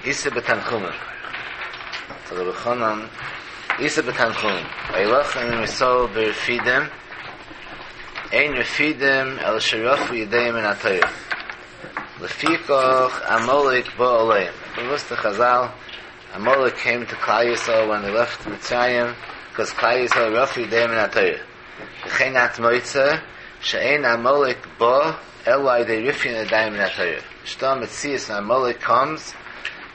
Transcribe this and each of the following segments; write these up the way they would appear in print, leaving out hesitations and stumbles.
איתא בתנחומא. זאגט רבי חנן, איתא בתנחומא, וילחם עם ישראל ברפידים, אין רפידים אלא שרפו ידיהם מן התורה, לפיכך עמלק בא עליהם. באוואוסטע חזל, עמלק קעים טו כלל ישראל ווען דעי לעפט מצרים, ביקאז כלל ישראל רפו ידיהם מן התורה. וכן את מוצא שאין עמלק בא אלא על ידי רפיון ידיים מן התורה. נישטא א מציאות ווען עמלק קאמס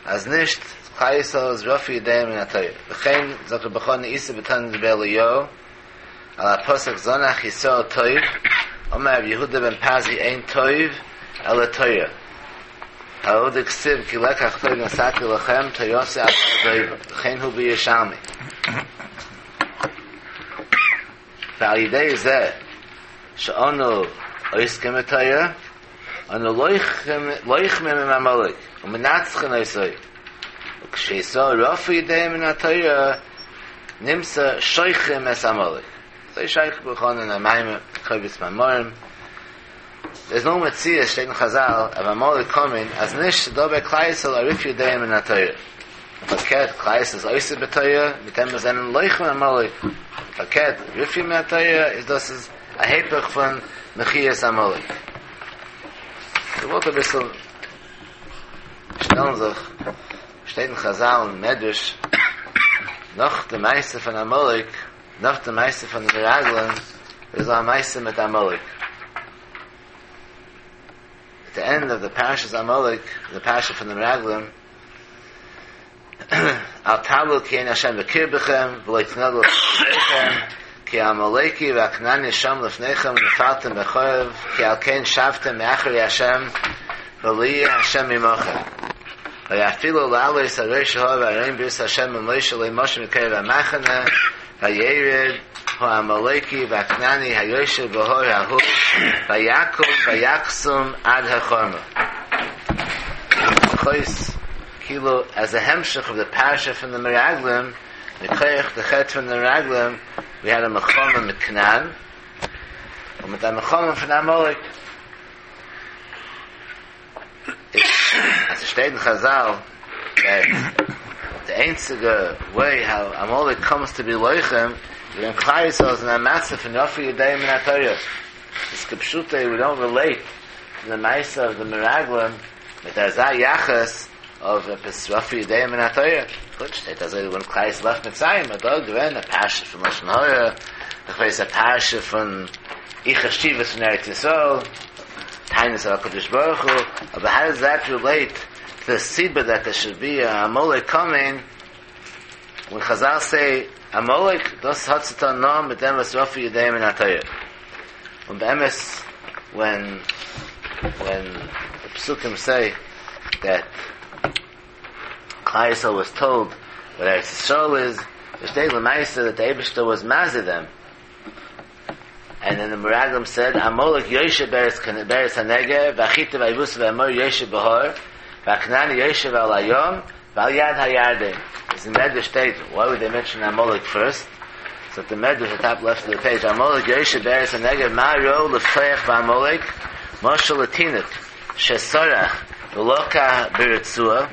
אז נישט כלל ישראל איז רפו ידיהם מן התורה. וכן זאגט רבי חנן איתא בתנא דבי אליהו על הפסוק זנח ישראל טוב אמר רבי יהודה בן פזי אין טוב אלא תורה. ההוא דכתיב כי לקח טוב נתתי לכם תורתי אל תעזובו וכן הוא בירושלמי. ועל ידי זה שאנו עוסקים בתורה, אנו לוחמים עם עמלק ומנצחין אותו, וכשישראל רפו ידיהם מן התורה נמצא שוחקים את עמלק. אזוי שרייבט רבי חנן אין א מאמר קובץ מאמרים, דער איז נאו מציאות שטייט אין חזל אוו עמלק קאמינג אז נישט ס'דא ביי כלל ישראל א רפיון ידיים מן התורה. און פארקערט כלל ישראל איז עוסק בתורה מיט דעם וואס זענען לוחם עמלק. פארקערט רפיון מן התורה איז דאס איז א היפך פון מחיית עמלק. כ'וואלט אביסל שטעלן זיך, שטייט אין חזל און מדרש נאך די מעשה פון עמלק, נאך די מעשה פון די מרגלים איז דא א מעשה מיט עמלק. At the end of the פרשת עמלק, the פרשה פון די מרגלים, אל תבהלו כי אין השם בקרבכם ולא תנגעו אל כי העמלקי והכנעני שם לפניכם ונפלתם בחרב כי על כן שבתם מאחרי השם ולא יהיה השם עמכם. ויפילו לעלות על ראש ההר וארון ברית השם ומשה לא משו מקרב המחנה וירד העמלקי והכנעני היושב בהר ההוא ויקום ויקסום עד החרמה. כויס כאילו as a המשך of the פרשה פון די מרגלים, מכח די חטא פון די מרגלים, we had a מלחמה מיט כנען, און מיט א מלחמה פון עמלק. אז ס'שטייט אין חזל that די איינציגע way how עמלק comes to be לוחם איז ווען כלל ישראל איז אין א מצב פון רפו ידיהם מן התורה. איז כפשוטו we don't relate to the מעשה of the מרגלים מיט אזא יחס of עפעס רפו ידיהם מן התורה. גוט, שטייט אזוי ווען כלל ישראל left מצרים, איז דא געווען א פרשה פון לשון הרע, איך ווייס א פרשה פון אי חשיבות פון ארץ ישראל, טענות על הקדוש ברוך הוא, אבער how does that relate to the סיבה that there should be a עמלק coming, when חזל say עמלק, דאס האט צו טון נאר מיט דעם וואס רפו ידיהם מן התורה. און באמת when when the פסוקים say that כלל ישראל was told what ארץ ישראל is, שטייט למעשה that the אייבערשטער was מזהיר them, and then the מרגלים said עמלק יושב בארץ בארץ הנגב והחתי והיבוסי והאמורי יושב בהר והכנעני יושב על הים ועל יד הירדן. איז אין מדרש שטייט, why would they mention עמלק first? זאגט די מדרש at top left of the page, עמלק יושב בארץ הנגב מה ראו לפתוח בעמלק משל לתינוק שסרח ולקה ברצועה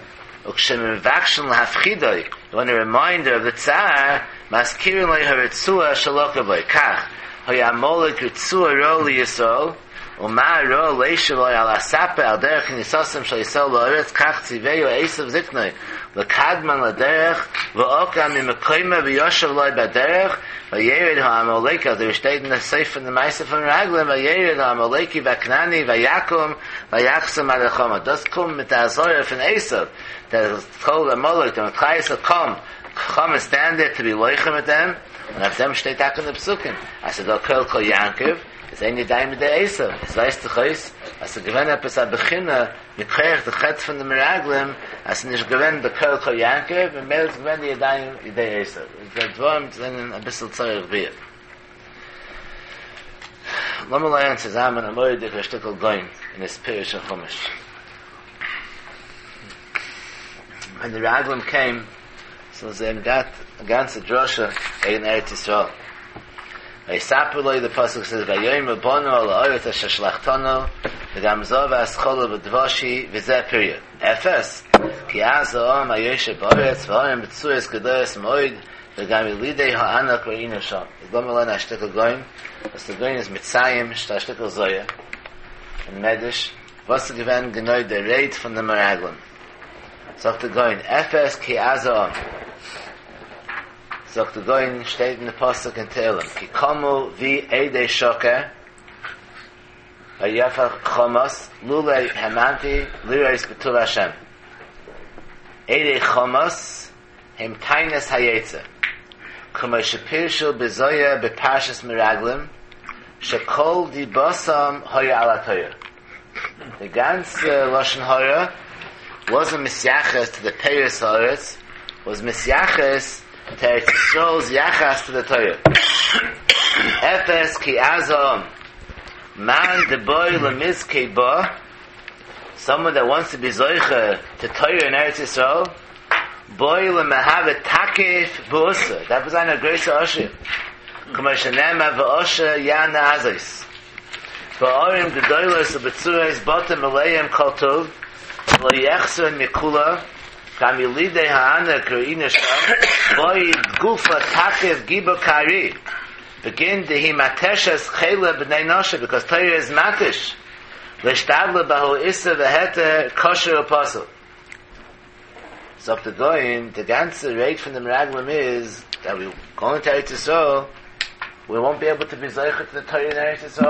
וכשמבקשין להפחידו, you want to remind her of the צער, מזכירין לו הרצועה שלקה בו, כך, היה עמלק רצועה רעה לישראל, ומה ראו לישב לו על הספה על דרך כניסתם של ישראל לארץ, כך ציווהו עשו זקנו, לקדמן לדרך, ועקר ממקומו וישב לו בדרך, וירד העמלקי, אזוי שטייט אין די סוף פון די מעשה פון מרגלים, וירד העמלקי והכנעני ויקום ויקסום עד החרמה. דאס קומט מיט די אזהרה פון עשו, that told עמלק, that כלל ישראל come, come and stand there to be לוחם מיט דעם, און אויף דעם שטייט טאקע אין די פסוקים, אז ס'איז דא קול קול יעקב, איז אין ידיים בידי עשו, עס ווייזט זיך אויס אז ס'איז געווען עפעס א בחינה מכח די חטא פון די מרגלים אז ס'איז נישט געווען די קול קול יעקב ממילא איז געווען די ידיים ידי עשו. די דברים זענען אביסל צריך ביאור. לאמיר לערנען צוזאמען א מורא'דיגע שטיקל גאון אין his פירוש אין חומש. ווען די מרגלים came, so זיי האבן געהאט א גאנצע דרשה וועגן ארץ ישראל. ויספרו לו, די פסוק says ויאמרו באנו אל הארץ אשר שלחתנו. וגם זהב והסחלה ודבש היא וזה פריה. אפס, כי עז העם היושב בארץ והערים בצורות גדולות מאוד וגם ילידי הענק ראינו שם. איז לאמיר לערנען א שטיקל גאון, וואס דער גאון איז מציין שטייט א שטיקל זוהר און מדרש, וואס איז געווען גענוי דער רייד פון די מרגלים. זאגט דער גאון, אפס כי עז העם. זאגט דער גאון, שטייט אין די פסוק אין תהלים, כי קמו בי עדי שקר, ויפח חמס, לולא האמנתי לראות בטוב השם. עדי חמס הם טענות היצר, כמו שפירשו בזוהר בפרשת מרגלים, שכל דיבתם היה על התורה. די גאנצע לשון הרע wasn't מתייחס to the פירות הארץ, was מתייחס to ארץ ישראל's יחס to the תורה. אפס כי עז העם, מאן דבעי למזכי בה, someone that wants to be זוכה to תורה in ארץ ישראל, בעי למהוי תקיף בעושא, דארף ער זיין א גרויסע עשיר, כמו שנאמר ועשיר יענה עזות, בערים גדולות ובצורות בתים מלאים כל טוב, ולא יחסרון מכולא, גם ילידי הענק ראינו שם, בעי גופא תקיף גיבור כארי, בגין דהיא מתשת חילא בני נשא, because תורה איז מתיש, לאשתדלא בההוא איסור והיתר כשר ופסול. זאגט דער גאון, די גאנצע רייד פון די מרגלים איז that we going to ארץ ישראל, we won't be able to be זוכה to the תורה אין ארץ ישראל,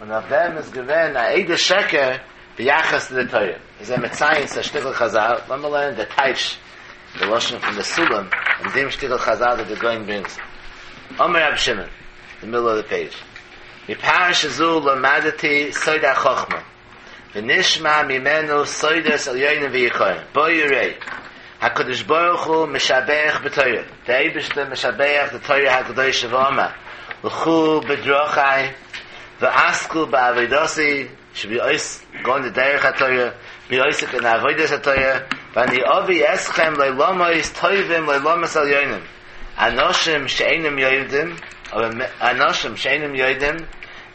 און אויף דעם איז געווען א עדות שקר ביחס צו די תורה. איז ער מציין צו א שטיקל חזל, לאמיר לערנען די טייטש, די לשון פון די סולם, אין דעם שטיקל חזל that די גאון ברענגט. אמר רבי שמעון, די מידל אוו די פעידזש, מפרשה זו למדתי סוד החכמה. ונשמע ממנו סודות עליונים ויקרים, בא וראה, הקדוש ברוך הוא משבח בתורה, דער אייבערשטער משבח די תורה הקדושה ואמר, לכו בדרכי ועסקו בעבודתי, should be עוסק, go in the דרך התורה, be עוסק in עבודת התורה, ואני אביא אתכם לעולמות טובים לעולמות עליונים, אנשים שאינם יודעים, אנשים שאינם יודעים,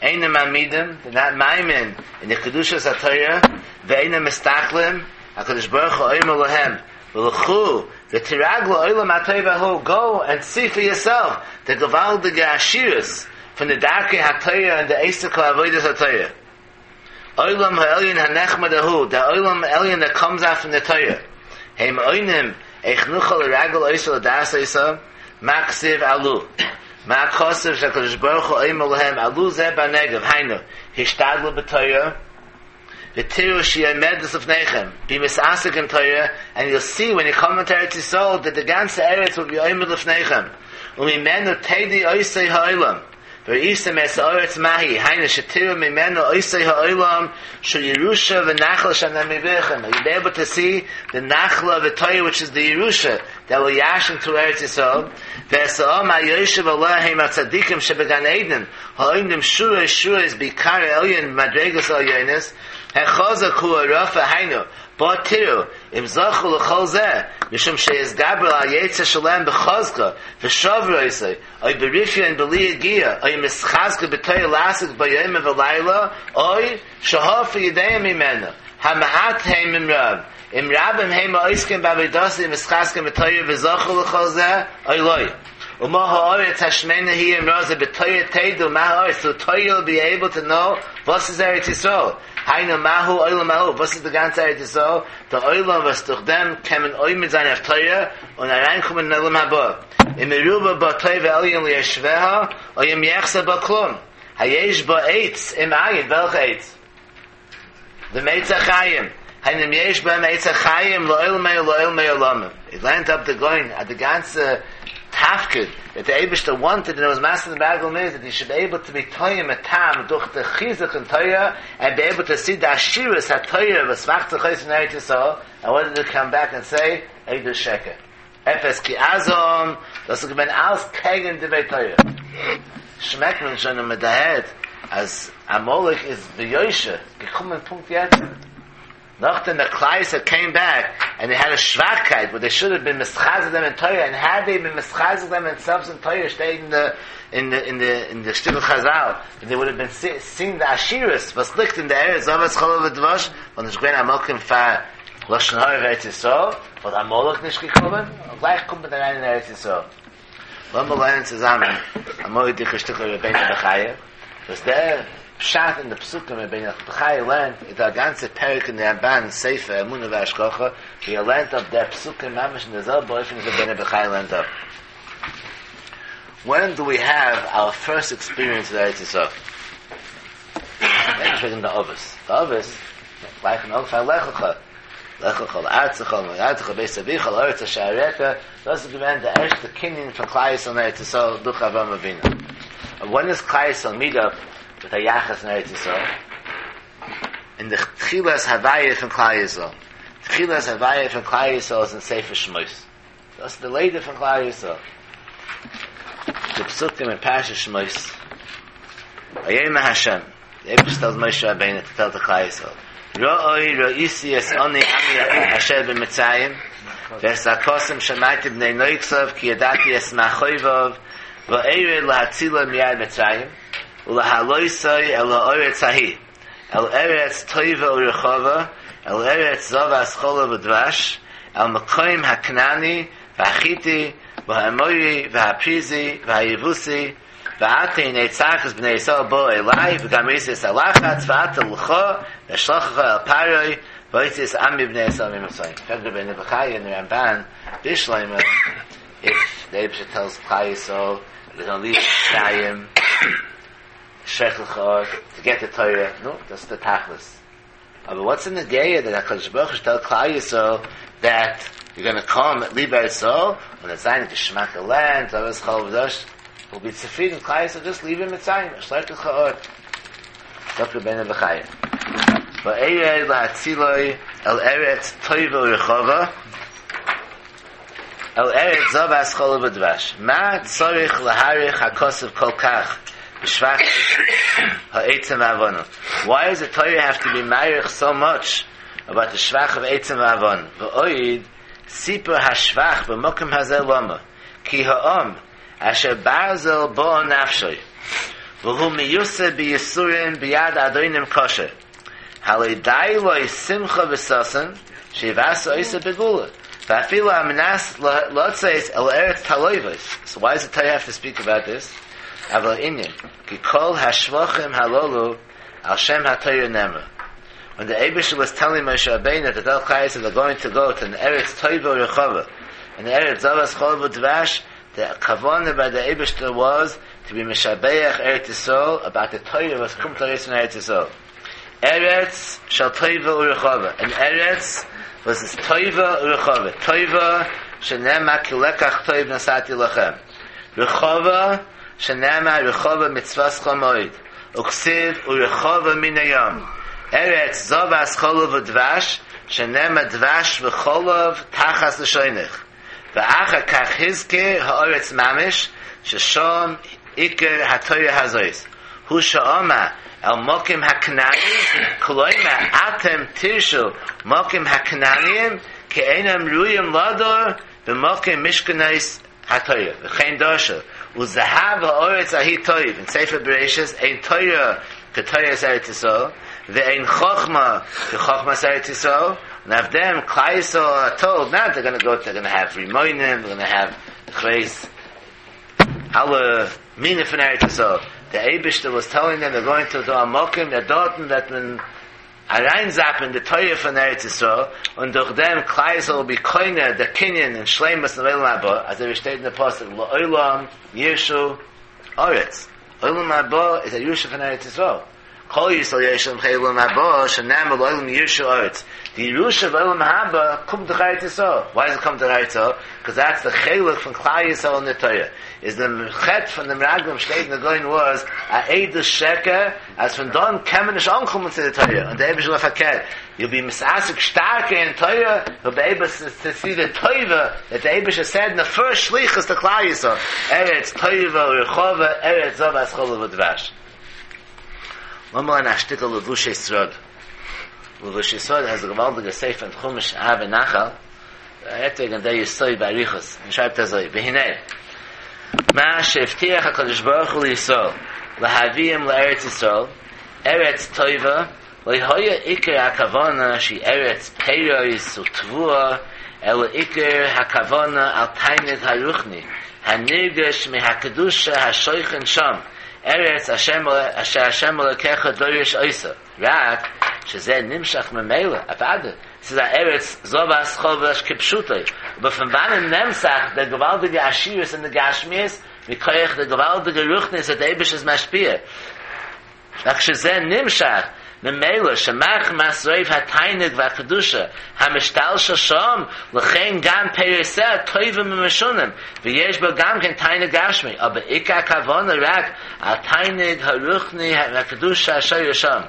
אינם מאמינים, they're not מאמין אין די קדושת התורה, ואינם מסתכלים, הקדוש ברוך הוא אומר להם, ולכו ותרגלו עולם הטוב ההוא, go and see for yourself די געוואלדיגע עשירות פון די דרכי התורה און די עסק עבודת התורה. עולם העליון הנחמד ההוא, די עולם העליון that comes out from the תורה, הם עונים איך נוכל לרגל אותה ולדעת אותה, מה כתיב עלו, מה כתוב שהקדוש ברוך הוא אומר להם עלו זה בנגב, היינו, השתדלו בתורה, ותראו שהיא עומדת לפניכם, be מתעסק in תורה, and you'll see when you come into ארץ ישראל that the גאנצע ארץ will be עומד לפניכם, וממנו תדעו אותו העולם. וראיתם את הארץ מה היא, היינו שתראו ממנו אותו העולם שהוא ירושה ונחלה שאני מביאכם. You'll be able to see the נחלה of the Torah which is the ירושה that will ירשן to ארץ ישראל. ואת העם היושב עליה הם הצדיקים שבגן עדן העומדים שורות שורות ביקר העליון במדרגות העליונות החזק הוא הרפה היינו בו תראו אם זכו לכל זה משום שהתגברו על היצר שלהם בחוזקה ושברו אותו או ברפיון בלי יגיעה, או מתחזקין בתורה לעסוק בה יומם ולילה, או שהרפו ידיהם ממנה, המעט הם אם רב, אם רבים הם העוסקים בעבודתה ומתחזקין בתורה וזכו לכל זה, או לא. ומה הארץ השמנה היא אם רזה בתורה תדעו מה הארץ, so Torah you'll be able to know וואס איז ארץ ישראל, היינו מהו עולם ההוא, וואס איז די גאנצע ארץ ישראל, דער עולם וואס דורך דעם קען מען עומד זיין אויף תורה און אריינקומען אין עולם הבא. אם מרובה בה טוב העליון ליושביה, או אם יחסר בה כלום. היש בה עץ, אם אין, וועלכע עץ? דעם עץ החיים. היינו אם יש בהם עץ החיים לעולמי ולעולמי עולמים. It לערנט אפ די גאון אז די גאנצע תפקיד that the אייבערשטער wanted and it was מזכיר the מרגלים is that you should be able to be טועם א טעם דורך די חיזוק אין תורה and be able to see the עשירות התורה וואס מאכט זיך אויס אין ארץ ישראל and what did it come back and say? עדות שקר. אפס כי עז העם, דאס איז געווען אלס קעגן דברי תורה. שמעקט מען שוין און מען דערהערט אז עמלק איז ביושר געקומען פונקט יעצט. נאכדעם דער כלל ישראל came back. and they had a שוואכקייט where they should have been מתחזק them in Torah, and had they been מתחזק them themselves in Torah, stayed in the in the in the in the shtickle Chazal, they would have been see, seeing the עשירות וואס ליגט אין די ארץ זבת חלב ודבש, וואלט נישט געווען א מקום פאר לשון הרע ארץ ישראל, וואלט עמלק נישט געקומען, און גלייך קומט מען אריין אין ארץ ישראל. לאמיר לערנען צוזאמען א מורא'דיגע שטיקל רבינו בחיי, וואס דער פשט אין די פסוקים רבינו בחיי לערנט איז דא א גאנצע פרק אין די רמב"ן ספר אמונה והשגחה ווי ער לערנט אפ דער פסוקים ממש אין די זעלבע אופן ווי רבינו בחיי לערנט אפ. When do we have our first experience with ארץ ישראל? נישט וועגן די אבות, די אבות גלייך אין אנפאנג לך לך, לך לך לארצך ולמולדתך לבית אביך אל הארץ אשר אראך, דאס איז געווען די ערשטע קנין פון כלל ישראל אין ארץ ישראל דורך אברהם אבינו. When does כלל ישראל meet up with א יחס אין ארץ ישראל? אין די תחילת הוויה פון כלל ישראל. תחילת הוויה פון כלל ישראל איז אין ספר שמות. דאס איז די לידה פון כלל ישראל. די פסוקים אין פרשת שמות. ויאמר השם, די אייבערשטער טעלס משה רבינו טו טעל די כלל ישראל, ראי ראיתי את עני עמי אשר במצרים, ואת זעקתם שמעתי בני נוגשיו כי ידעתי את מכאוביו, וארד להצילם מיד מצרים, ולהעלותו אל הארץ ההיא, אל ארץ טובה ורחבה, אל ארץ זבת חלב ודבש, אל מקום הכנעני והחתי והאמורי והפריזי והיבוסי, ועתה הנה צעקת בני ישראל באה אלי וגם ראיתי את הלחץ ועתה לכה ואשלחך אל פרעה והוצאת את עמי בני ישראל ממצרים. פרעגט רבינו בחיי און רמב"ן בשלמא if the אייבערשטער tells כלל ישראל they're gonna leave מצרים שלח לך to get the Torah, נו, דאס איז די תכלית. אבער what's in נוגע that הקדוש ברוך הוא tell כלל ישראל that you're gonna come leave ארץ ישראל און עס זיין געשמאקע לענד זבת חלב ודבש will be צופרידן כלל ישראל just leave in מצרים שלח לך ארט זאגט רבינו בחיי וארד להצילו אל ארץ טובה ורחבה אל ארץ זבת חלב ודבש מה צריך להאריך הכתוב כל כך בשבח העצים והאבנים Why does the Torah have to be מאריך so much about the שבח of עצים ואבנים? ועוד סיפור השבח במקום הזה למה כי העם אשר ברזל באה נפשו והוא מיוסר ביסורים ביד אדונים קשה הלא די לו שמחה וששון שיבשרו אותו בגאולה ואפילו על מנת לצאת אל ארץ תלובות So why does the Torah have to speak about this? אבל העניין כי כל השבחים הללו על שם התורה נאמרו When the אייבערשטער was telling משה רבינו that the כלל ישראל are going to go to an ארץ טובה ורחבה and ארץ זבת חלב ודבש the כוונה by the אייבערשטער was to be משבח ארץ ישראל about the Torah וואס קומט ארויס פון ארץ ישראל. ארץ של טובה ורחבה, אן ארץ וואס איז טובה ורחבה, טובה שנאמר כי לקח טוב נתתי לכם, רחבה שנאמר רחבה מצוותך מאוד, וכתיב ורחבה מני ים, ארץ זבת חלב ודבש שנאמר דבש וחלב תחת לשונך, ואחר כך הזכיר הארץ ממש ששם עיקר התורה הזאת, הוא שאמר אל מקום הכנעני, כלומר אתם תירשו מקום הכנעניים כי אינם ראויים לדור במקום משכנות התורה, וכן דרשו וזהב הארץ ההיא טוב, אין ספר בראשית אין תורה כתורת ארץ ישראל, ואין חכמה כחכמת ארץ ישראל, און אויף דעם כלל ישראל are told not they're gonna go they're gonna have רימונים, they're gonna have כ'ווייס אלע מינים פון ארץ ישראל, דער אייבערשטער was telling them they're going to the מקום that דארטן וועט מען אריינזאפן די תורה פון ארץ ישראל, און דורך דעם כלל ישראל will be קונה די קנין און שלימות אין עולם הבא, אזוי ווי שטייט אין די פסוק לעולם יירשו ארץ, עולם הבא איז א ירושה פון ארץ ישראל. כל ישראל יורשים חיי עולם הבא, שנאמר לעולם יירשו ארץ. די ירושה of עולם הבא קומט דורך ארץ ישראל. Why does it come דורך ארץ ישראל? Because that's the חלק פון כלל ישראל אין די תורה. איז דעם חטא פון די מרגלים שטייט אין די גוים was א עדות שקר, אז פון דאן קען מען נישט אנקומען צו די תורה. און דער אייבערשטער וויל פארקערט, you'll be מתעסק שטארקער אין תורה, you'll be able to see the טובה that the אייבערשטער said in the first שליחות to כלל ישראל, ארץ טובה ורחבה, ארץ זבת חלב ודבש. לאמיר לערנען א שטיקל לבושי שרד. לבושי שרד has א געוואלדיגע ספר אין חומש ערבי נחל. ער רעדט וועגן דער יסוד באריכות, און שרייבט אזוי, והנה, מה שהבטיח הקדוש ברוך הוא לישראל להביאם לארץ ישראל, ארץ טובה, לא היה עיקר הכוונה שהיא ארץ פירות ותבואה, אלא עיקר הכוונה על תענוג הרוחני הנרגש מהקדושה השוכן שם, ארץ אשר השם אלוקיך דורש אותה, רק שזה נמשך ממילא, אוודאי, ס'איז א ארץ זבת חלב ודבש כפשוטו, אבער פון וואנען נעמט זיך דער געוואלדיגע עשירות אין די גשמיות? מכח די געוואלדיגע רוחניות וואס דער אייבערשטער איז משפיע. רק שזה נמשך ממילא שמחמת רוב התענוג והקדושה המשתלשל שם, לכן גם פירותיה טובים ומשונים, ויש בה גם כן תענוג גשמי, אבער עיקר הכוונה רק על תענוג הרוחני והקדושה השורה שם.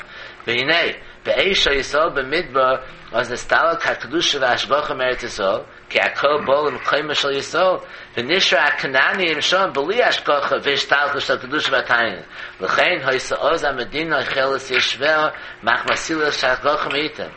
והנה, בעת שהיו ישראל במדבר אז נסתלק הקדושה וההשגחה מארץ ישראל, כי הכל בא למקומה של ישראל, ונשאר הכנעניים שם בלי השגחה והשתלשלות של קדושה והתענוג, לכן היתה אז המדינה אוכלת יושביה מחמת סילוק ההשגחה מאיתם.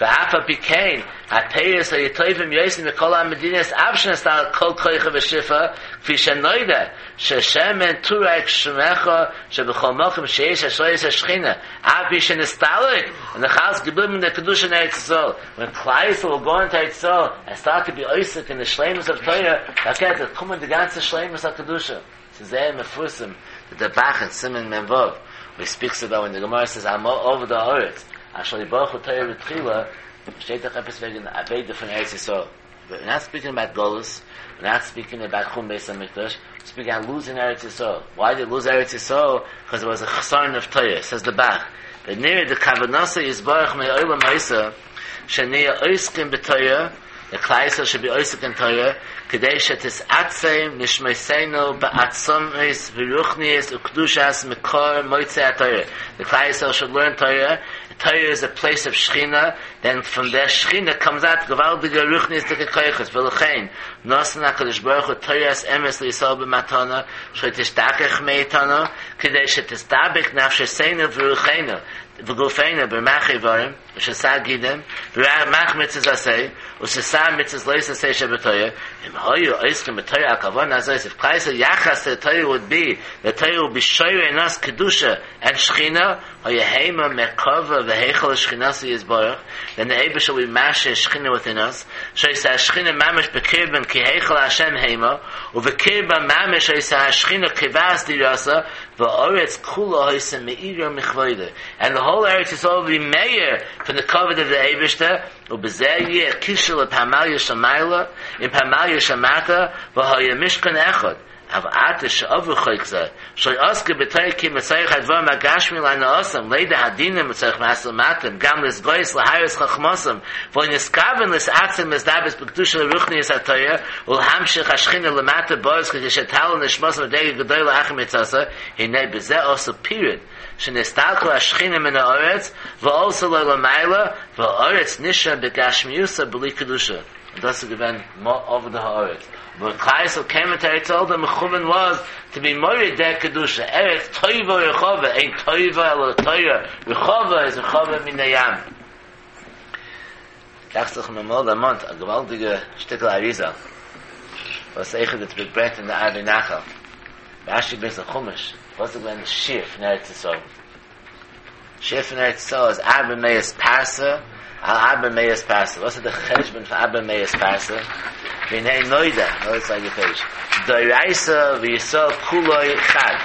ואף על פי כן, הפירות היו טובים יותר מכל המדינות אף שנסתלק כל כוחה ושפעה, כפי שנודע ששמן טורק שמך שבכל מקום שיש השראת השכינה, אף על פי שנסתלק, און נאך אלץ געבליבן די קדושה אין ארץ ישראל, ווען כלל ישראל וויל גאו אינטו ארץ ישראל ענד סטארט טו בי עוסק אין די שלימות אוו תורה, פארקערט וועט קומען די גאנצע שלימות הקדושה. ס'איז זייער מפורסם די ב"ח אין סימן מ"ו וואו הי ספיקס אבאוט ווען די גמרא סעיז על מה אבדה הארץ אשר לא ברכו תורה בתחילה, שטייט דאך עפעס וועגן אבידה פון ארץ ישראל, ווער נאט ספיקינג אבאוט גלות, ווער נאט ספיקינג אבאוט חורבן בית המקדש, ספיקינג אבאוט לוזינג ארץ ישראל, וויי דיד לוז ארץ ישראל? קאז דער וואס א חסרון אוו תורה, סעיז די ב"ח, ונראה דכוונתו יתברך מעולם היתה שנהיה עוסקים בתורה, דעט כלל ישראל שוד בי עוסק אין תורה, כדי שתתעצם נשמתינו בעצמות ורוחניות וקדושת מקור מוצא התורה, דעט כלל ישראל שוד לערן תורה, תורה איז א פלעיס אוו שכינה, דען פראם דער שכינה קאמס אוט געוואלדיגע רוחניות'דיגע כוחות, ולכן נתן הקדוש ברוך הוא תורת אמת לישראל במתנה, שלא תשתכח מאיתנו, כדי שתתדבק נפשותינו ורוחנו וגופינו ברמ"ח איברים, ושס"ה גידים, ברמ"ח מצוות עשה, ושס"ה מצוות לא תעשה שבתורה, אם היו עוסקים בתורה על כוונה הזאת, איף כלל ישראל יחס טו תורה וואוד בי, דעט תורה וואוד בי שורה אין אס קדושה ענד שכינה, היה המה מרכבה והיכל לשכינתו יתברך, דען די אייבערשטער וואוד בי משרה שכינה וויטין אס, שהיתה השכינה ממש בקרבם כי היכל השם המה, ובקרבם ממש היתה השכינה קובעת דירתה, והארץ כולה היתה מאירה מכבודו, ענד די האול ארץ ישראל וואוד בי מאיר פון די כבוד אוו די אייבערשטער, ובזה יהיה קישור לפמליא של מעלה עם פמליא של מטה, והיה משכן אחד. אבל עתה שעברו חוק זה, שלא עסקו בתורה כי אם לצורך הדברים הגשמיים להנאתם, לידע הדינים לצורך משא ומתן, גם להתגאות להראות חכמתם, ולא נתכוון להתעצם ולהתדבק בקדושה ורוחניות התורה, ולהמשיך השכינה למטה בארץ כדי שתעלה נשמתם מדרגה גדולה אחר מיתתה, הנה בזה עשו פירוד, שנסתלקה השכינה מן הארץ, ועלתה לה למעלה, והארץ נשארה בגשמיותה בלי קדושה. און דאס איז געווען מה אבדה הארץ, ווען כלל ישראל קעים אינטו ארץ ישראל די מכוון וואס טו בי מוריד דער קדושה, ארץ טובה ורחבה, אין טובה אלא תורה, רחבה איז רחבה מני ים. דאכט זיך מיר אמאל דערמאנט א געוואלדיגע שטיקל אריז"ל וואס אויכעט איטס געברענגט אין די ערבי נחל, רש"י ברענגט אין חומש, וואס איז געווען די שיעור פון ארץ ישראל? שיעור פון ארץ ישראל איז ארבע מאות פרסה על ארבע מאות פרסה, וואס איז די חשבון פון ארבע מאות פרסה? והנה נודע, נאו איטס לייק א פעידזש, דאורייתא וישראל כולו חד,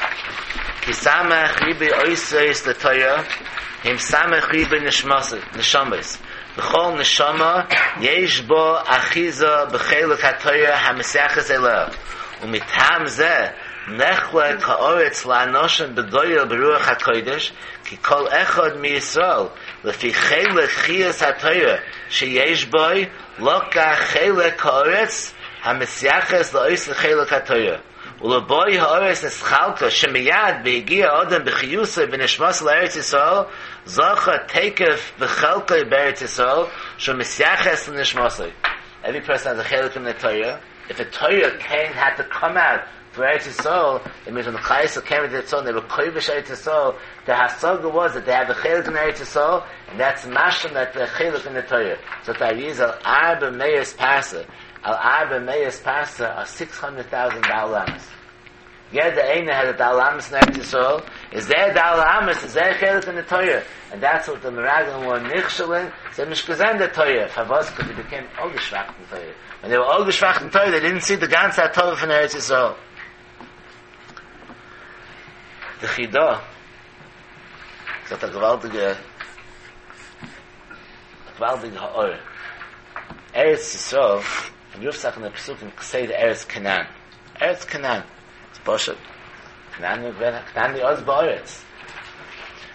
כי סמך ריבוי אותיות לתורה הם סמך ריבוי נשמות, וכל נשמה יש בה אחיזה בחלק התורה המתייחס אליה, ומטעם זה נחלק הארץ לאנשים בגודל ברוח הקודש, כי כל אחד מישראל לפי חלק חיות התורה שיש בו לקח חלק הארץ המתייחס לאותו חלק התורה, ולבאי הארץ נתחלקה שמיד בהגיע האדם בחיותו ונשמתו לארץ ישראל זכה תיכף בחלקו בארץ ישראל שהוא מתייחס לנשמתו. Every person has a חלק in the Torah. If a Torah came had to come out. for Eretz Yisrael, it means when the Klal Yisrael came into Eretz Yisrael and they were Kovish Eretz Yisrael, the Hasaga was that they have a Chelik in Eretz Yisrael, and that's mashlim that the Chelik in the Torah. So the idea is al Arba Meyas Parsa, al Arba Meyas Parsa are 600,000 Dalamas. Yed Eina has a Dalamas in Eretz Yisrael, is there Dalamas, is there Chelik in the Torah? And that's what the Meraglim were Nichshalin, so Mishkazen the Torah, Favos, because they became Ogeshvach in the Torah. When they were Ogeshvach in Torah, they didn't see the ganze Torah from Eretz Yisrael. The Chidah, sagt a gewaltige, a gewaltige Ha'or. Eretz Yisrael, and Rufsach in the Pesukim, say the Eretz Canaan. Eretz Canaan. It's Poshet. Canaan, Canaan the Oz Ba'aretz.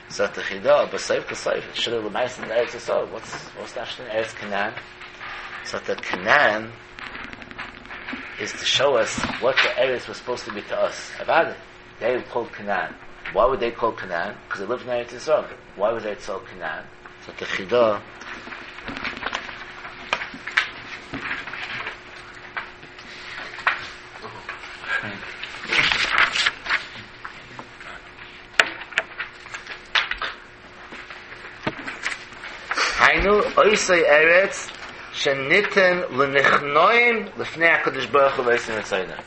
Sagt the Chidah, but Seif K'Seif, it should have l'mais in Eretz Yisrael. What's, what's the in Eretz Canaan? So the Canaan is to show us what the Eretz was supposed to be to us. About it. They called Canaan. Why would they call Canaan? Because they lived in Eretz Yisrael. Why was Eretz Yisrael Canaan? So the Chidah Hainu oisei Eretz sheniten l'nichnoim l'fnei HaKadosh Baruch Hu v'oisei Mitzoyna.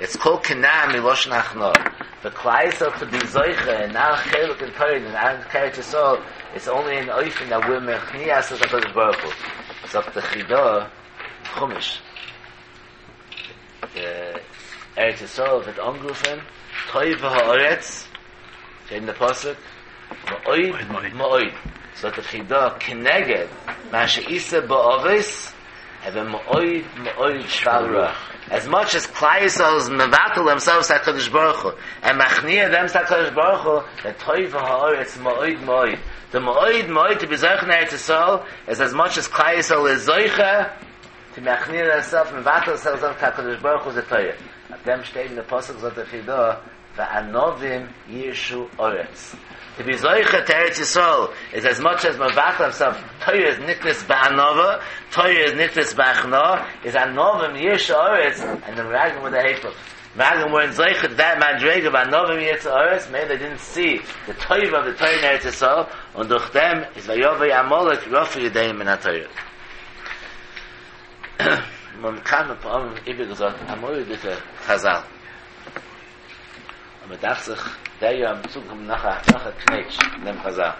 It's called Canaan miloshen hachno. The Klal Yisrael to be zoiche and now chelik and Torah and now Eretz Yisrael, it's only in oifen that we're mechnias of HaKadosh Baruch Hu. So the Chidah, Chumash, the Eretz Yisrael wird angerufen, Toiv ha'aretz, in the pasuk, Ma'oid, Ma'oid. So the Chidah, Keneged, Ma she'isa ba'avis, have a Ma'oid, Ma'oid shval ruach. As much as Klal Yisrael is mevatel themselves HaKadosh Baruch Hu, and machnia them HaKadosh Baruch Hu, the Toiv ha'aretz Ma'oid, Ma'oid. The Ma'oid, Ma'oid to be Zoicha in Eretz Yisrael is as much as Klal Yisrael is Zoicha to machnia themselves, mevatel themselves HaKadosh Baruch Hu is a Torah. At them steht in the pasuk zot the Chidah, Va'anovim Yishu Oretz. To be Zoicha to Eretz Yisrael is as much as mevatel himself. Torah is niknis ba'anova, Torah is niknis ba'achna, is anovim Yishu Oretz, and the Meraglim with the Hefel. Meraglim were in Zoicha to that madrega ba'anovim Yishu Oretz, maybe they didn't see the Torah of the Torah in Eretz Yisrael, and durch them is Vayovei Amalek Rafu Yedeim in HaTorah. Man kann ein paar Mal gesagt, amoi dike Chazal. Aber dacht sich, der ja am Zug kommt nachher, nachher Knetsch, in dem Chazal.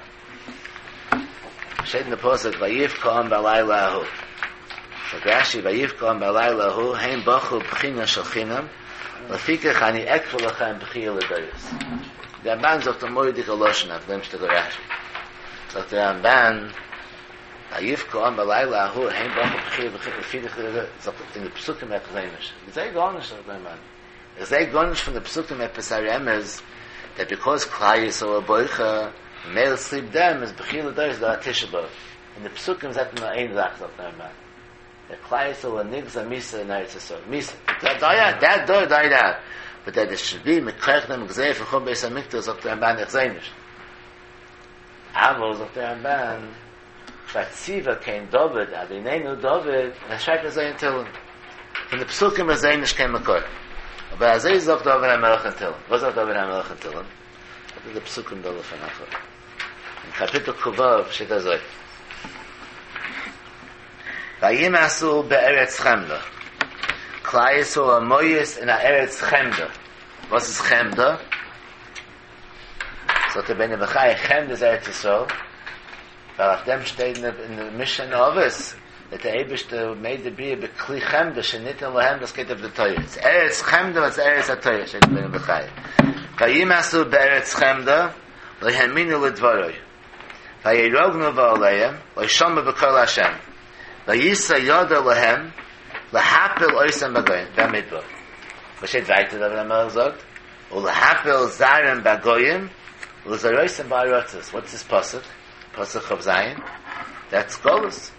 Steht in der Posuk, Vayif ko'am b'alayla ahu. Sagt Rashi, Vayif ko'am b'alayla ahu, heim bachu b'china shel chinam, lefikach ani ekfu lachem b'chia l'doyos. Der Ramban sagt amoi dike Loshen, auf dem steht der Rashi. Sagt der Ramban, Vayif ko'am b'alayla ahu, heim bachu b'chia lefikach, sagt in der Psukim etwas Ich sage gar nicht, sagt der Ramban. Ich sage gar nicht von der Psukim etwas Remez, that because Klal Yisrael boicha, male sleep them is b'chia l'doyos da Tisha B'Av. In the Psukim sagt man nur ein Sach, sagt der Ramban. The Klal Yisrael nigza misa in Eretz Yisrael. Misa. That died out, that door died out. But that it should be mekach them gzei for chum beis hamikdash, sagt der Ramban, ich seh nicht. Aber, sagt der Ramban, Vatziva kein David, Adinenu David, er schreibt er in Tillim. Von der Psukim ist er nicht kein Makor. Aber er sagt David HaMelech in Tillim. Was sagt David HaMelech in Tillim? Das ist der Psukim da von Nachor. In Kapitel Kuvav steht er so. Vayimasu be'eretz Chemda. Klal Yisrael amoyis in Eretz Chemda. Was ist Chemda? Sagt der Ben Bechai, Chemda ist Eretz Yisrael. Weil auf dem steht in der Mishnah Ovis, that the Eibishter made the Bria bekli Chemda, sheniten lahem, das geht auf the Torah. It's Eretz Chemda, it's Eretz HaTorah, steht der Ben Bechai. Vayimasu be'eretz Chemda, lehaminu ledvaroi. Vayirognu va'aleim, leishama b'kol Hashem. Vayisa yoda lahem, lahapil oisem bagoyim, b'amidbar. Was steht weiter, da HaMelech sagt? Ulahapil zarem bagoyim, u'zaroisem ba'arotzes. What's this pasuk? Pasuk of Zion? That's Golus.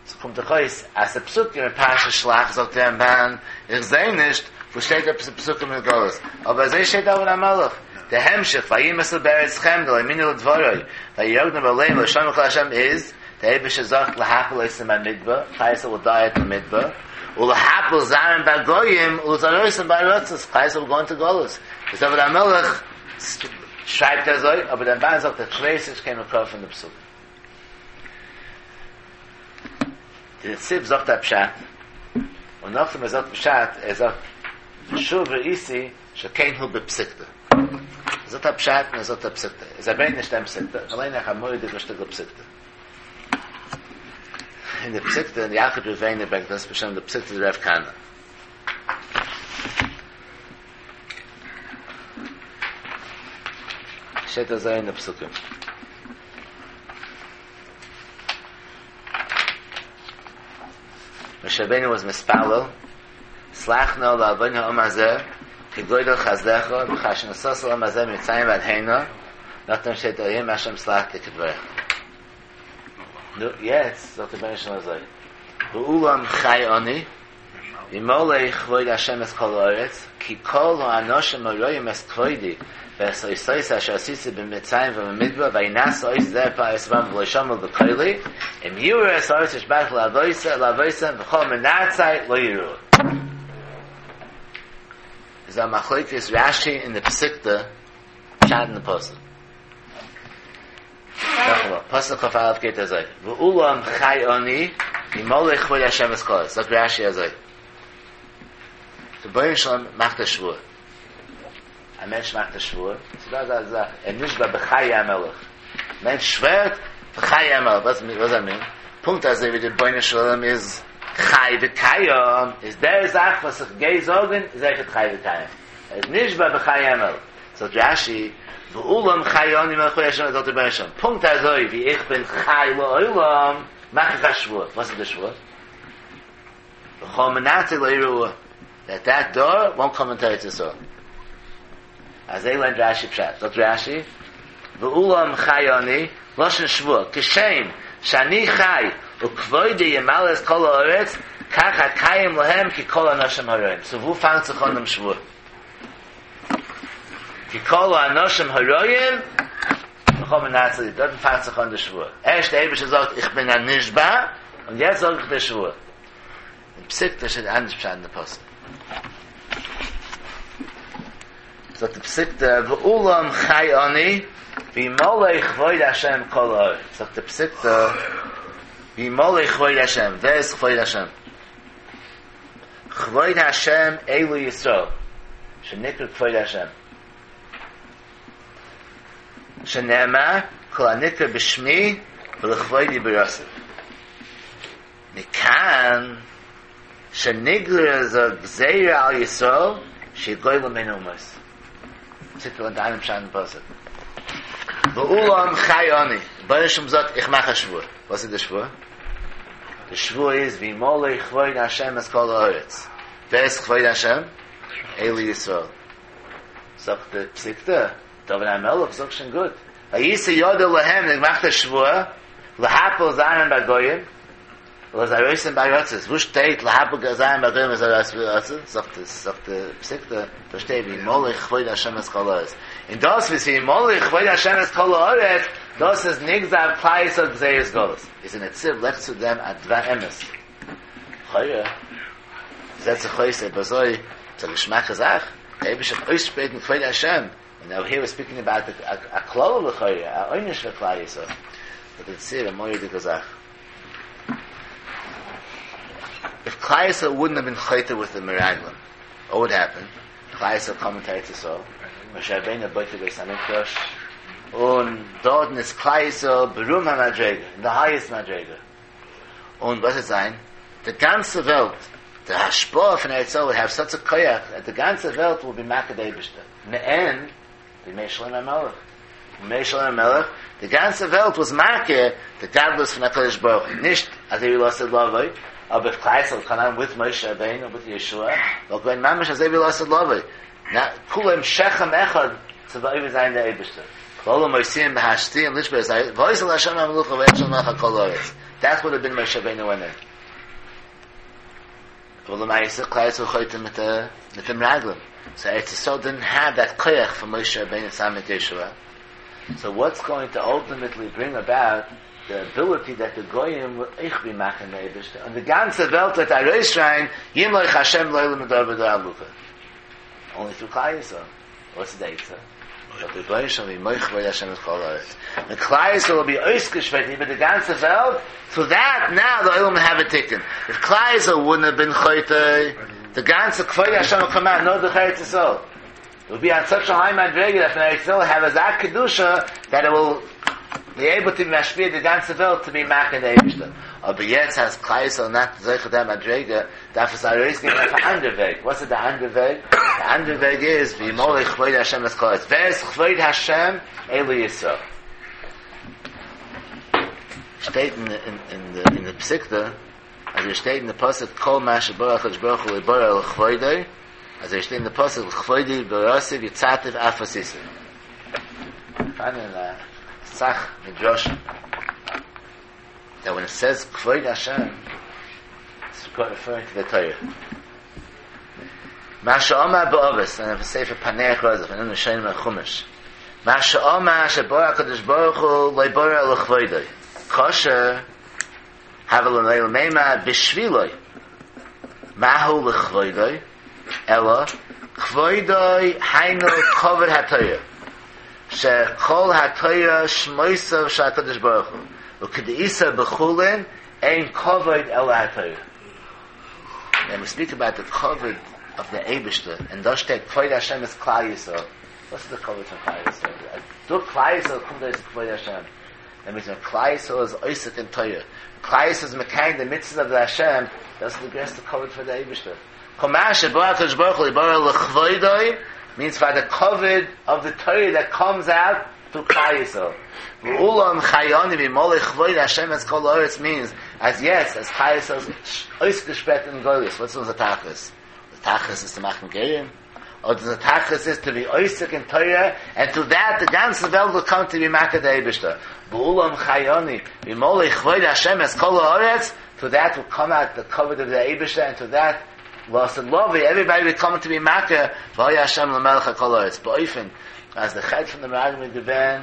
So kommt der Chois, as a Psukim in Parashat Shlach, sagt der Ramban, ich seh nicht, wo steht der Psukim in Golus. Aber seh steht da in HaMelech. Der Hemshech, Vayimasel be'eretz Chemda, le'minu l'dvoroi, vayirognu b'aleim, l'shem l'chol Hashem is, דער אייבערשטער זאגט להפיל אותם במדבר, כלל ישראל וויל דיי אין מדבר, ולהפיל זרעם בגוים ולזרותם בארצות, כלל ישראל וויל גאו אינטו גלות, איז דוד המלך שרייבט אזוי, אבער דער רמב"ן זאגט איך ווייס נישט קיין מקור פון די פסוק. די נציב זאגט א פשט, און נאכדעם ער זאגט פשט, ער זאגט ושוב ראיתי שכן הוא בפסיקתא. ער זאגט א פשט און ער זאגט א פסיקתא. איז ער ברענגט נישט דעם פסיקתא, איך ליין אייך א מורא'דיגע שטיקל פסיקתא. אין די פסיקתא אין ילקוט ראובני ברענגט דאס בשם די פסיקתא דרב כהנא. שטייט אזוי אין די פסוקים. משה רבינו וואס מתפלל, סלח נא לעוון העם הזה, כגודל חסדך, וכאשר נשאת לעם הזה ממצרים ועד הנה, נאכדעם שטייט היום השם סלחתי כדברך. נו, יעצט זאגט דער רבונו של עולם אזוי, ואולם חי אני, וימלא כבוד השם את כל הארץ, כי כל האנשים הרואים את כבודי ואת אותותי אשר עשיתי במצרים ובמדבר וינס אות זה את בם ולא שמעו בקולי, אם יראו את הארץ אשר נשבעתי לאבותם וכל מנאצי לא יראוה. איז א מחלוקת רשי אין די פסיקתא פשט אין די פסוק. נאכאמאל, פסוק כ"א גייט אזוי, ואולם חי אני וימלא כבוד השם את כל הארץ, זאגט רשי אזוי, רבונו של עולם מאכט א שבועה, א מענטש מאכט א שבועה, ס'איז דא אזא זאך, ער נשבע בחיי המלך, מענטש שווערט בחיי המלך, וואס דאס מיינט? פונקט אזוי ווי דער רבונו של עולם איז חי וקיים, איז דער זאך וואס איך גיי זאגן איז אויכעט חי וקיים, ער איז נשבע בחיי המלך, זאגט רשי, ואולם חי אני וימלא כבוד השם, זאגט דער רבונו של עולם, פונקט אזוי ווי איך בין חי לעולם, מאך איך א שבועה, וואס איז די שבועה? וכל מנאצי לא יראוה, דעט דעט דור וואנט קאם אינטו ארץ ישראל. אזוי לערנט רשי פשט, זאגט רשי, ואולם חי אני, לשון שבועה, כשם שאני חי וכבודי ימלא את כל הארץ, כך אקיים להם כי כל האנשים הרועים. סאו וואו פאנגט זיך אן דעם שבועה? כי כל האנשים הרועים וכל מנאצי, דארטן פאנגט זיך אן די שבועה. ערשט דער אייבערשטער זאגט איך בין א נשבע, און יעצט זאג איך די שבועה. אין פסיקתא שטייט אנדערש פשט אין די פסוק. זאגט די פסיקתא ואולם חי אני וימלא כבוד השם כל הארץ. זאגט די פסיקתא וימלא כבוד השם, ווער איז כבוד השם? כבוד השם אלו ישראל, שנקרא כבוד השם. שנאמר כל הנקרא בשמי ולכבודי בראתיו. מכאן שנגזרה גזירה על ישראל שיגולו בין האומות. פסיקתא לערנט אן אנדערן פשט אין פסוק. ואולם חי אני, רבונו של עולם זאגט איך מאך א שבועה. וואס איז די שבועה? די שבועה איז וימלא כבוד השם את כל הארץ. ווער איז כבוד השם? אלו ישראל. זאגט די פסיקתא, דוד המלך זאגט שוין גוט, וישא ידו להם, ער מאכט א שבועה, להפיל זרעם בגויים, ולזרותם בארצות, וואו שטייט להפיל זרעם בגויים ולזרותם בארצות? זאגט זאגט די פסיקתא, דא שטייט וימלא כבוד השם את כל הארץ. און דאס וואס וימלא כבוד השם את כל הארץ, דאס איז נגזר אויף כלל ישראל גזירת גלות. איז אין נציב לייגט צו דעם א דבר אמת. לכאורה זעט זיך אויס אויב אזוי איז א געשמאקע זאך, דער אייבערשטער וועט אויסשפרייטן כבוד השם, און נאו היר וויר ספיקינג אבאוט א קללה לכאורה, א עונש פאר כלל ישראל. זאגט דער נציב א מורא'דיגע זאך. איף כלל ישראל וואודנט האוו בין חוטא וויט די מרגלים, וואט וואוד העפען? כלל ישראל קאם אינטו ארץ ישראל, משה רבינו בויט די בית המקדש, און דארטן איז כלל ישראל ברום המדריגה, אין די הייעסט מדריגה, און וואס וועט זיין? די גאנצע וועלט, די השפעה פון ארץ ישראל וואוד העוו סאטש א כח, דעט די גאנצע וועלט וויל בי מכיר די אייבערשטער, מעין בימי שלמה המלך, בימי שלמה המלך, די גאנצע וועלט וואס מכיר די גדלות פון הקדוש ברוך הוא, נישט אזוי ווי לעתיד לבוא, אבער איף כלל ישראל קאם וויט משה רבינו וויט יהושע, וואלט געווען ממש אזוי ווי לעתיד לבוא, כולם שכם אחד צו עובד זיין די אייבערשטער, והללו מוציאים בהשתייה לשבור את והיתה להשם המלוכה ויחשב מלך על כל הארץ, דעט וואלד האוו בין משה רבינו ווענט אין. אבל למעשה כלל ישראל חוטא מיט די מרגלים, סאו ארץ ישראל דידנט העוו דעט כח פון משה רבינו צוזאמען מיט יהושע, סאו וואטס גאוינג טו אלטימעטלי ברינג אבאוט די אביליטי דעט די גויים וויל אויך בי מכיר די אייבערשטער און די גאנצע וועלט וועט ארויסשרייען ימלוך השם לעולם מדור ודור עלוקה אנלי טרו כלל ישראל וואס איז די עצה? זאגט דער רבונו של עולם וימלוך כבוד השם את כל הארץ ווען כלל ישראל וויל בי אויסגעשפרייט איבער די גאנצע וועלט סאו דעט נאו די עולם וויל העוו א תיקון איף כלל ישראל וואודנט האוו בין חוטא די גאנצע כבוד השם וויל קאם אוט נאר דורך ארץ ישראל וויל בי אן סאטש א היי מדריגה דעט פון ארץ ישראל העוו אזא קדושה דעט איט וויל בי עיבל טו בי משפיע די גאנצע וועלט טו בי מכיר די אייבישטער אבער יעצט אז כלל ישראל נאט זוכה דעם מדריגה דארף עס ארויסגיין אויף א אנדער וועג וואס איז די אנדער וועג די אנדער וועג איז וימלא כבוד השם את כל הארץ ווער איז כבוד השם אלו ישראל שטייט אין אין אין די פסיקתא אז עס שטייט אין די פסוק כל מה שברא הקדוש ברוך הוא לא ברא אלא לכבודו אז עס שטייט אין די פסוק לכבודי בראתיו יצרתיו אף עשיתיו. פאראן אסאך מדרשים that when it says כבוד השם it's referring to the Torah. מה שאמר באבות, אין ספר פענח רזא, פון ראשונים אין חומש. מה שאמר שברא הקדוש ברוך הוא לא ברא אלא לכבודו. כשר הוה ליה למימר בשבילו. מהו לכבודו? אלא כבודו היינו כבוד התורה שכל התורה שמותיו של הקדוש ברוך הוא וכדאיתא בחולין אין כבוד אלא התורה. ווען ווי ספיק אבאוט די כבוד אוו די אייבישטער און דא שטייט כבוד השם איז כלל ישראל וואס איז די כבוד פון כלל ישראל? אז דורך כלל ישראל קומט אויס כבוד השם דעט מיינס ווען כלל ישראל איז עוסק אין תורה, כלל ישראל איז מקיים די מצוות אוו די השם, דאס איז די גרעסטע כבוד פאר די אייבישטער. כל מה שברא הקדוש ברוך הוא לא ברא אלא לכבודו, מיינס פאר די כבוד אוו די תורה דעט קאמס אוט טרו כלל ישראל. ואולם חי אני וימלא כבוד השם את כל הארץ מיינס אז יעצט אז כלל ישראל איז אויסגעשפרייט אין גלות, וואס איז אונזער תכלית? די תכלית איז צו מאכן גרים? אדער די תכלית איז טו בי עוסק אין תורה, ענד טרו דעט די גאנצע וועלט וויל קאם טו בי מכיר די אייבישטער, ואולם חי אני וימלא כבוד השם את כל הארץ, טרו דעט וויל קאם אוט די כבוד אוו די אייבישטער ענד טרו דעט לעתיד לבוא עוועריבאדי וויל קאם טו בי מכיר והיה השם למלך על כל הארץ, באופן אז די חטא פון די מרגלים איז געווען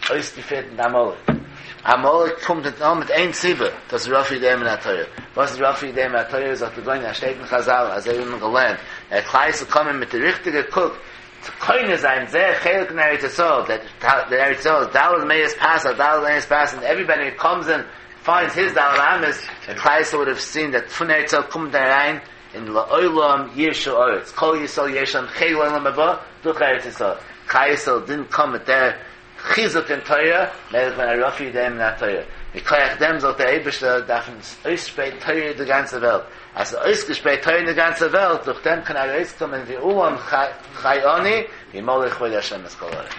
אויסגעפירט מיט עמלק. עמלק קומט נאר מיט איין סיבה, דאס איז רפו ידיהם מן התורה. וואס איז רפו ידיהם מן התורה? זאגט די גאון, שטייט אין חזל, אזוי ווי מען געלערנט, אז כלל ישראל קומען מיט די ריכטיגע קוק, צו קונה זיין זייער חלק אין ארץ ישראל, דעט ארץ ישראל איז ד' מאות פרסה על ד' מאות פרסה, און עוועריבאדי הו קאמס אין פיינדס היז ד' אמות, און כלל ישראל וואלד האוו סין דעט פון ארץ ישראל קומט אריין אין לעולם יירשו ארץ, כל ישראל יש להם חלק לעולם הבא דורך ארץ ישראל, כלל ישראל דינט קאם מיט דער חיזוק אין תורה, מילא געווען א רפו ידיהם מן התורה, מכח דעם זאגט דער אייבערשטער דארף מען אויסשפרייטן תורה אין די גאנצע וועלט, אז ס'איז אויסגעשפרייט תורה אין די גאנצע וועלט, דורך דעם קען ארויסקומען ואולם חי אני וימלא כבוד השם את כל הארץ.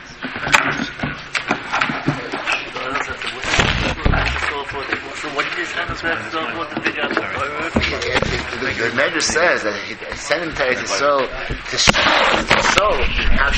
The Medrash says that he sent him to Eretz Yisrael to show how